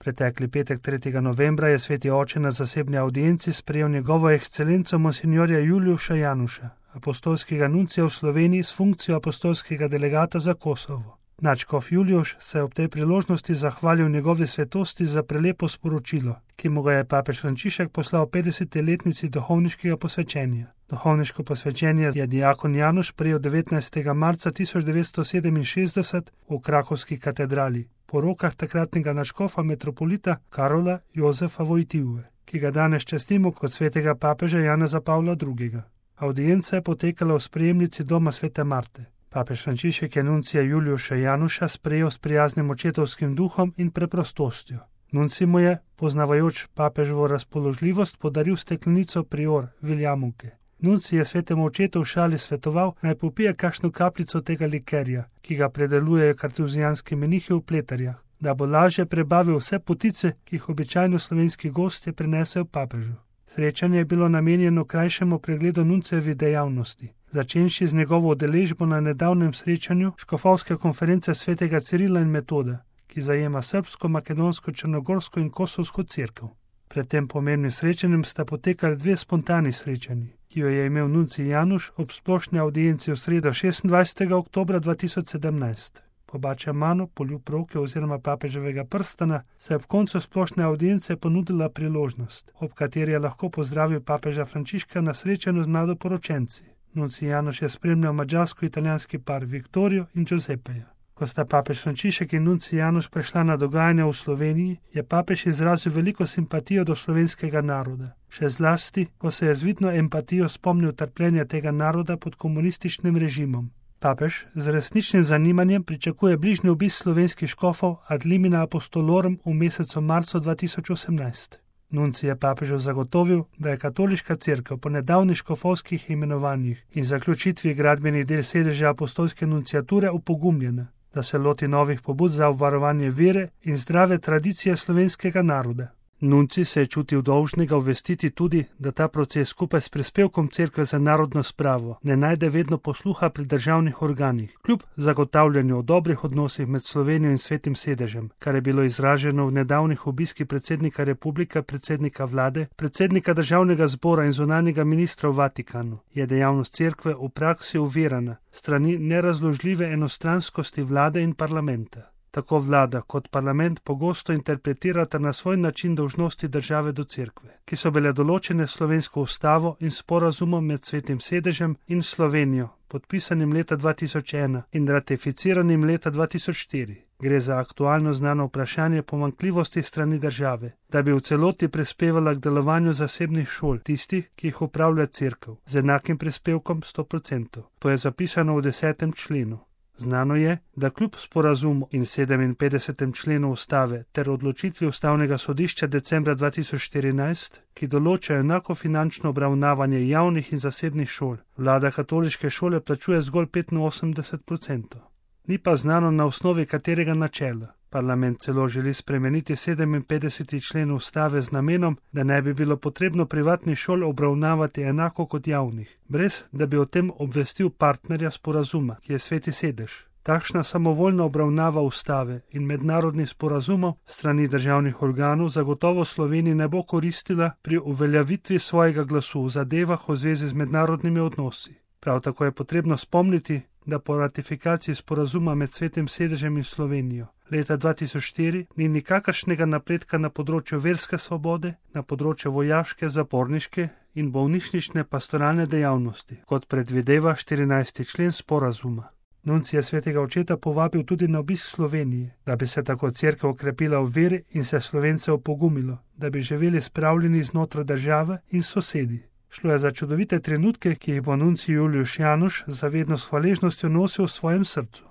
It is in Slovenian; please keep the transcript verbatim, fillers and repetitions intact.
Pretekli petek tretjega novembra je sveti oče na zasebni avdienci sprejel njegovo ekscelenco monsinjorja Juliuša Januša, apostolskega nuncija v Sloveniji s funkcijo apostolskega delegata za Kosovo. Nadškof Juliuš se je ob tej priložnosti zahvalil njegovi svetosti za prelepo sporočilo, ki mu ga je papež Frančišek poslal v petdeseti letnici duhovniškega posvečenja. Duhovniško posvečenje je diakon Januš prejel devetnajstega marca tisoč devetsto sedeminšestdeset v krakovski katedrali, po rokah takratnega nadškofa metropolita Karola Jozefa Vojtive, ki ga danes častimo kot svetega papeža Janeza Pavla drugega. Avdienca je potekala v sprejemnici doma svete Marte. Papež Frančišek je nuncija Juliuša Januša sprejel s prijaznim očetovskim duhom in preprostostjo. Nuncij mu je, poznavajoč papeževo razpoložljivost, podaril steklenico prior Viljamovke. Nuncij je svetemu očetu v šali svetoval, naj popije kakšno kapljico tega likerja, ki ga predelujejo kartuzijanski menihi v Pleterjah, da bo lažje prebavil vse potice, ki jih običajno slovenski gostje prinesejo papežu. Srečanje je bilo namenjeno krajšemu pregledu nuncijevih dejavnosti, začenši z njegovo udeležbo na nedavnem srečanju škofovske konference svetega Cirila in Metoda, ki zajema srbsko, makedonsko, črnogorsko in kosovsko cerkev. Pred tem pomembnim srečanjem sta potekali dve spontani srečanji, ki jo je imel nuncij Januš ob splošni avdienci v sredo šestindvajsetega oktobra dva tisoč sedemnajst. Po Bačamanu, poljub roke oziroma papeževega prstana, se je ob koncu splošne avdience ponudila priložnost, ob kateri je lahko pozdravil papeža Frančiška na srečanju z mladoporočenci. Nuncij Januš je spremljal madžarsko-italijanski par Viktorijo in Giuseppeja. Ko sta papež Frančišek in nuncij Januš prešla na dogajanje v Sloveniji, je papež izrazil veliko simpatijo do slovenskega naroda. Še zlasti, ko se je z vidno empatijo spomnil trpljenja tega naroda pod komunističnim režimom. Papež z resničnim zanimanjem pričakuje bližnji obisk slovenskih škofov ad limina apostolorum v mesecu marcu dva tisoč osemnajst. Nuncij je papežu zagotovil, da je katoliška cerkev po nedavnih škofovskih imenovanjih in zaključitvi gradbenih del sedeža apostolske nunciature opogumljena, da se loti novih pobud za obvarovanje vere in zdrave tradicije slovenskega naroda. Nuncij se je čutil dolžnega obvestiti tudi, da ta proces skupaj s prispevkom cerkve za narodno spravo ne najde vedno posluha pri državnih organih, kljub zagotavljanju o dobrih odnosih med Slovenijo in svetim sedežem, kar je bilo izraženo v nedavnih obiskih predsednika republike, predsednika vlade, predsednika državnega zbora in zunanjega ministra v Vatikanu, je dejavnost cerkve v praksi uvirana strani nerazložljive enostranskosti vlade in parlamenta. Tako vlada kot parlament pogosto interpretirata na svoj način dolžnosti države do cerkve, ki so bile določene slovensko ustavo in sporazumom med svetim sedežem in Slovenijo, podpisanim leta dva tisoč ena in ratificiranim leta dva tisoč štiri. Gre za aktualno znano vprašanje pomanjkljivosti strani države, da bi v celoti prispevala k delovanju zasebnih šol, tistih, ki jih upravlja cerkev, z enakim prispevkom sto procentov. To je zapisano v desetem členu. Znano je, da kljub sporazumu in sedeminpetdesetem členu ustave ter odločitvi ustavnega sodišča decembra dva tisoč štirinajst, ki določajo enako finančno obravnavanje javnih in zasebnih šol, vlada katoliške šole plačuje zgolj petinosemdeset procentov. Ni pa znano na osnovi katerega načela. Parlament celo želi spremeniti sedeminpetdeseti člen ustave z namenom, da ne bi bilo potrebno privatnih šol obravnavati enako kot javnih, brez da bi o tem obvestil partnerja sporazuma, ki je sveti sedež. Takšna samovoljna obravnava ustave in mednarodnih sporazumov strani državnih organov zagotovo Sloveniji ne bo koristila pri uveljavitvi svojega glasu v zadevah v zvezi z mednarodnimi odnosi. Prav tako je potrebno spomniti, da po ratifikaciji sporazuma med svetim sedežem in Slovenijo leta dva tisoč štiri ni nikakršnega napredka na področju verske svobode, na področju vojaške, zaporniške in bolnišnične pastoralne dejavnosti, kot predvideva štirinajsti člen sporazuma. Nuncij je svetega očeta povabil tudi na obisk Slovenije, da bi se tako cerkev okrepila v veri in se Slovence opogumilo, da bi živeli spravljeni znotraj države in sosedi. Šlo je za čudovite trenutke, ki jih bo nuncij Juliuš Januš zavedno s hvaležnostjo nosil v svojem srcu.